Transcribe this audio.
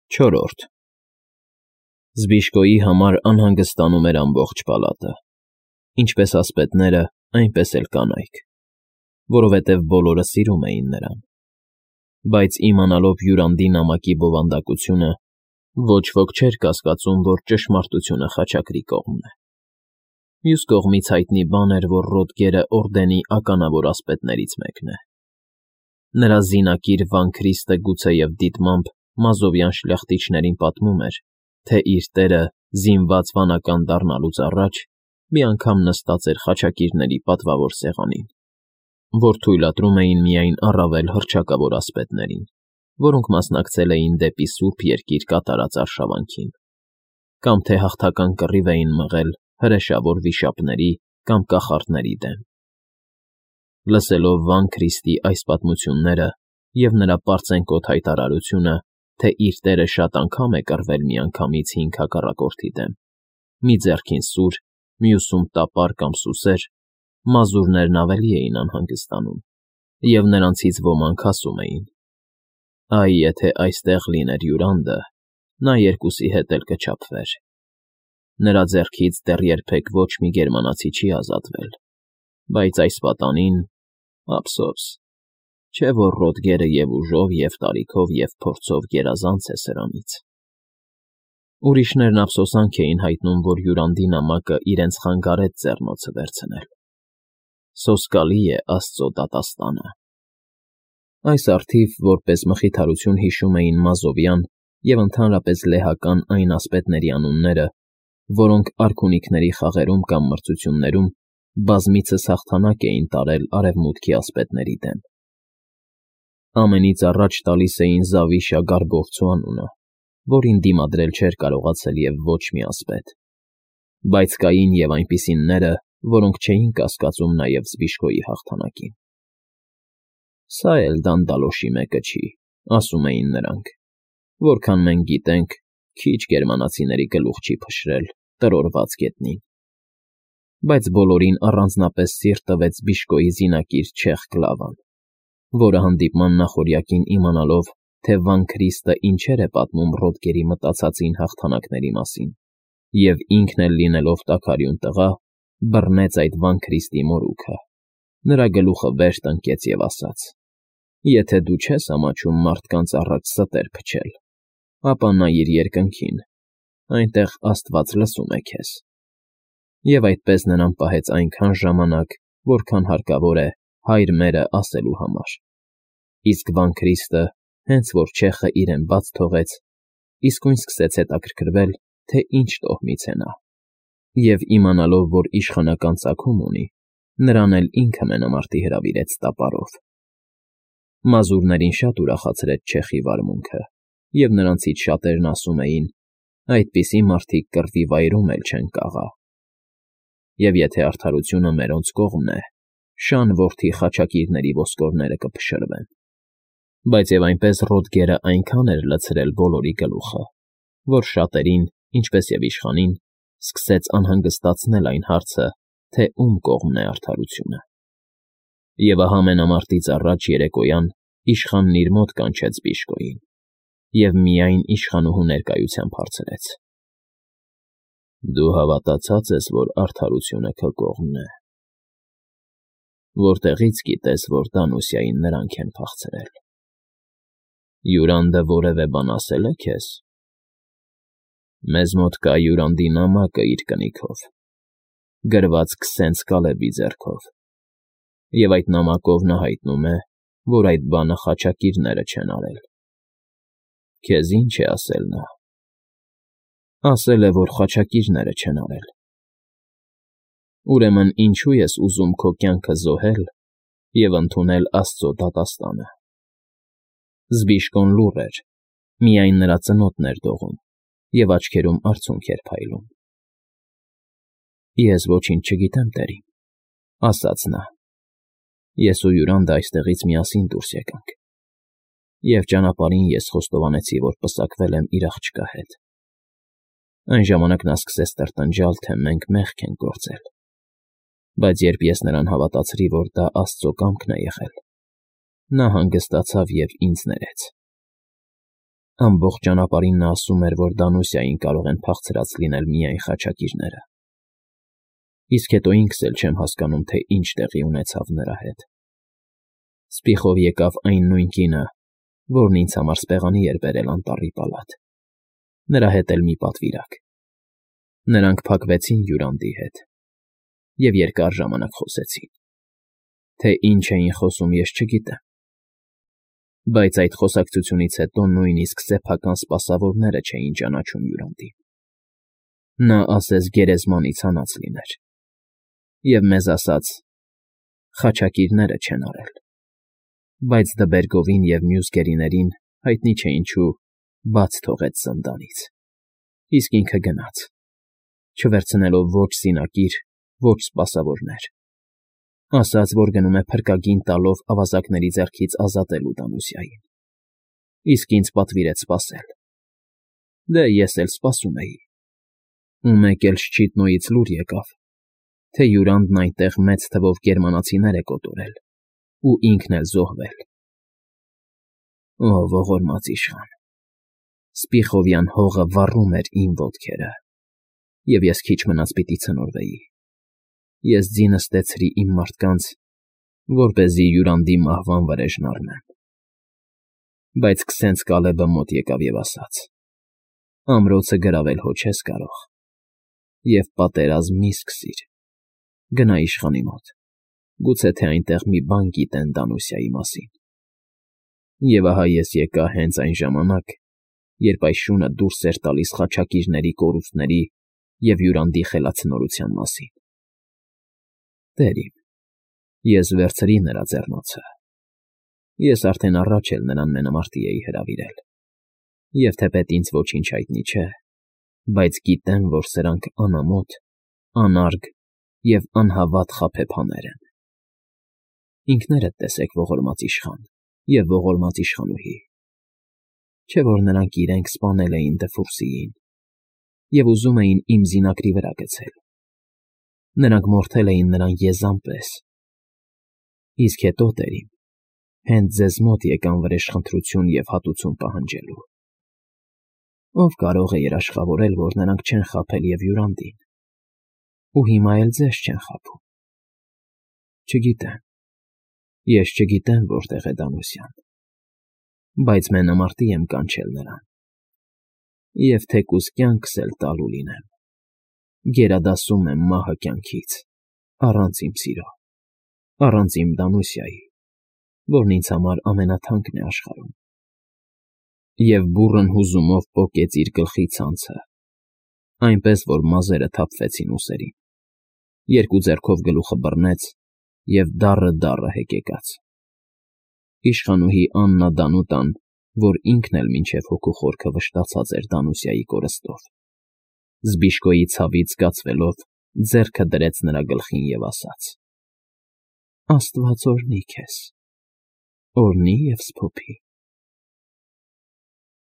Չորրորդ Զբիշկոյի համար անհանգստանում էր ամբողջ պալատը, ինչպես ասպետները, այնպես էլ կանայք, որովհետև բոլորը սիրում էին նրան, բայց իմանալով Յուրանդի նամակի բովանդակությունը, ոչ ոք չէր կասկածում, որ ճշմարտությունը խաչակրի կողմն է։ Մյուս կողմից հայտնի բան էր, որ Ռոդգերը օրդենի ականավոր ասպետներից մեկն է։ Նրա զինակիր Վան Քրիստը գուցեև դիտմամբ մազովյան շլախտիչներին պատմում էր, թե իր տերը զինված վանական դառնալուց առաջ մի անգամ նստած էր խաչակիրների պատվավոր սեղանին, որ թույլատրում էին միայն առավել հռչակավոր ասպետներին, որոնք մասնակցել էին դեպի Սուրբ Երկիր կատարած արշավանքին, կամ թե հաղթական կռիվ էին մղել հրեշավոր վիշապների կամ կախարդների դեմ։ Լսելով Վան Քրիստի այս պատմությունները և նրա պարծենկոտ հայտարարությունը, թե իր տերը շատ անգամ է կռվել միանգամից 5 հակառակորդի դեմ, մի ձեռքին սուր, մյուսում տապար կամ սուսեր, մազուրներն ավելի էին անհանգստանում, և նրանցից ոմանք ասում էին. «Այ եթե այստեղ լիներ Յուրանդը, նա երկուսի հետ էլ կչափվեր։ Նրա ձեռքից դեռ երբեք ոչ մի գերմանացի չի ազատվել, բայց այս պատանին, ափսոս, չէ որ Ռոդգերը և ուժով, և տարիքով, և փորձով գերազանց է սրանից»։ Ուրիշներն ափսոսանք էին հայտնում, որ Յուրանդի նամակը իրենց խանգարեց ձեռնոցը վերցնել։ Սոսկալի է Աստծո դատաստանը։ Այս առթիվ որպես մխիթարություն հիշում էին մազովյան և ընդհանրապես լեհական այն ասպետների անունները, որոնք արքունիքների խաղերում կամ մրցություններում բազմիցս հաղթանակ էին տարել արևմուտքի ասպետների դեմ։ Ամենից առաջ տալիս էին Զավիշա Գարգովցու անունը, որին դիմադրել չէր կարողացել և ոչ մի ասպետ, բայց կային և այնպիսինները, որոնք չէին կասկածում նաև Զբիշկոյի հաղթանակին։ «Սա էլ դանդալոշի մեկը չի», ասում էին նրանք, «որքան մենք գիտենք, քիչ գերմանացիների գլուխ չի փշրել տրորված գետնին»։ Բայց բոլորին առանձնապես սիրտ տվեց Զբիշկոյի զինակիր չեխ Կլավան, որը հանդիպման նախօրյակին իմանալով, թե Վան Քրիստը ինչեր է պատմում Ռոդգերի մտածածին հաղթանակների մասին, և ինքն էլ լինելով տաքարյուն տղա, բռնեց այդ Վան Քրիստի մորուքը, նրա գլուխը վեր տնկեց և ասաց. «Եթե դու չես ամաչում մարդկանց առաջ ստեր փչել, ապա նայիր երկնքին, այնտեղ Աստված լսում է քեզ»։ Եվ այդպես նրան պահեց այնքան ժամանակ, որքան հարկավոր է «Հայր մերը» ասելու համար։ Իսկ Վան Քրիստը, հենց որ չեխը իրեն բաց թողեց, իսկույն սկսեց հետաքրքրվել, թե ինչ տոհմից է նա, և իմանալով, որ իշխանական ծագում ունի, նրան էլ ինքը մենամարտի հրավիրեց տապարով։ Մազուրներին շատ ուրախացրեց չեխի վարմունքը, և նրանցից շատերն ասում էին. «Այդպիսի մարդիկ կռվի վայրում էլ չեն կաղա»։ Եվ եթե արդարությունը մերոնց կողմն է, շան որդի խաչակիրների ոսկորները կփշրվեն։ Բայց և այնպես Ռոդգերը այնքան էր լցրել բոլորի գլուխը, որ շատերին, ինչպես և իշխանին, սկսեց անհանգստացնել այն հարցը, թե ում կողմն է արդարությունը։ Եվ ահա մենամարտից առաջ երեկոյան իշխանն իր մոտ կանչեց Զբիշկոյին և միայն իշխանուհու ներկայությամբ հարցրեց. «Դու հավատացած ես, որ արդարությունը քո կողմն է։ Որտեղի՞ց գիտես, որ Դանուսիային նրանք են փախցրել։ Յուրանդը որևէ բան ասել է քեզ»։ «Մեզ մոտ կա Յուրանդի նամակը իր կնիքով, գրված Քսենց Կալեբի ձեռքով, և այդ նամակով նա հայտնում է, որ այդ բանը խաչակիրները չեն արել։ Քեզ ի՞նչ է ասել նա»։ «Ասել է, որ խաչակիրները չեն արել»։ «Ուրեմն ինչո՞ւ ես ուզում քո կյանքը զոհել և ընդունել Աստծո դատաստանը»։ Զբիշկոն լուռ էր, միայն նրա ծնոտն էր դողում, և աչքերում արցունք էր փայլում։ «Ես ոչինչ չգիտեմ, տերին», ասաց նա։ «Ես ու Յուրանդը այստեղից միասին դուրս եկանք, և ճանապարհին ես խոստովանեցի, որ պսակվել եմ իր աղջկա հետ։ Այն ժամանակ նա սկսեց տրտնջալ, թե մենք մեղք ենք գործել, բայց երբ ես նրան հավատացրի, որ դա Աստծո կամքն է եղել, նա հանգստացավ և ինձ ներեց։ Ամբողջ ճանապարհին նա ասում էր, որ Դանուսիային կարող են փախցրած լինել միայն խաչակիրները։ Իսկ հետո ինքս էլ չեմ հասկանում, թե ինչ տեղի ունեցավ նրա հետ։ Սպիխով եկավ այն նույն կինը, որն ինձ համար սպեղանի էր բերել անտառի պալատ։ Նրա հետ էլ մի պատվիրակ։ Նրանք փակվեցին Յուրանդի հետ և երկար ժամանակ խոսեցին։ Թե ինչ էին խոսում, ես չգիտեմ։ Բայց այդ խոսակցությունից հետո նույնիսկ սեփական սպասավորները չէին ճանաչում Յուրանդին։ Նա ասես գերեզմանից հանած լիներ։ Եվ մեզ ասաց. խաչակիրները չեն արել։ Բայց Դբերգովին և մյուս գերիներին, հայտնի չէ ինչու, բաց թողեց զնդանից։ Իսկ ինքը գնաց, չվերցնելով ոչ զինակիր, ոչ սպասավորներ։ Ասաց, որ գնում է փրկագին տալով ավազակների ձեռքից ազատելու Դանուսիային։ Իսկ ինձ պատվիրեց սպասել։ Դե ես էլ սպասում էի։ Ու մեկ էլ Շչիտնոյից լուր եկավ, թե Յուրանդն այնտեղ մեծ թվով գերմանացիներ է կոտորել ու ինքն էլ զոհվել։ Օ, ողորմած իշխան, Սպիխովյան հողը վառում էր իմ ոտքերը, և ես քիչ մնաց պիտի ցնորվեի։ Ես ձի նստեցրի իմ մարդկանց, որպեսզի Յուրանդի մահվան վրեժն առնեմ։ Բայց քսենց Կալեբը մոտ եկավ և ասաց. ամրոցը գրավել հո չես կարող, և պատերազմ մի սկսիր, գնա իշխանի մոտ, գուցե թե այնտեղ մի բան գիտեն Դանուսիայի մասին։ Եվ ահա ես եկա հենց այն ժամանակ, երբ այս շունը դուրս էր տալիս խաչակիրների կորուստների և Յուրանդի խելացնորության մասին։ Տեր իմ, ես վերցրի նրա ձեռնոցը։ Ես արդեն առաջ էլ նրան մենամարտի էի հրավիրել, և թեպետ ինձ ոչինչ հայտնի չէ, բայց գիտեմ, որ սրանք անամոթ, անարգ և անհավատ խաբեբաներ են։ Ինքներդ տեսեք, ողորմած իշխան և ողորմած իշխանուհի, չէ՞ որ նրանք իրենք սպանել էին Դֆուրսիին և ուզում էին իմ զինակրի վրա գցել։ Նրանք մորթել էին նրան եզան պես։ Իսկ հետո, տեր իմ, հենց ձեզ մոտ եկան վրեժխնդրություն և հատուցում պահանջելու։ Ո՞վ կարող է երաշխավորել, որ նրանք չեն խաբել և Յուրանդին, ու հիմա էլ ձեզ չեն խաբում։ Չգիտեմ, ես չգիտեմ որտեղ է Դանուսյան, բայց մենամարտի եմ կանչել նրան, և թեկուզ կյանքս էլ տալու լինեմ, գերադասում եմ մահը կյանքից, առանց իմ սիրո, առանց իմ Դանուսիայի, որն ինձ համար ամենաթանկն է աշխարհում։ Եվ բուռն հուզումով պոկեց իր գլխի ցանցը, այնպես, որ մազերը թափվեցին ուսերին, երկու ձեռքով գլուխը բռնեց և դառը հեկեկաց։ Իշխանուհի Աննա Դանուտան, որ ինքն էլ մինչև հոգու խորքը վշտացած էր Դանուսիայի կորստով, Զբիշկոյի ցավից զգացվելով, ձեռքը դրեց նրա գլխին և ասաց. Աստված օրհնի քեզ, օրհնի և սփոփի։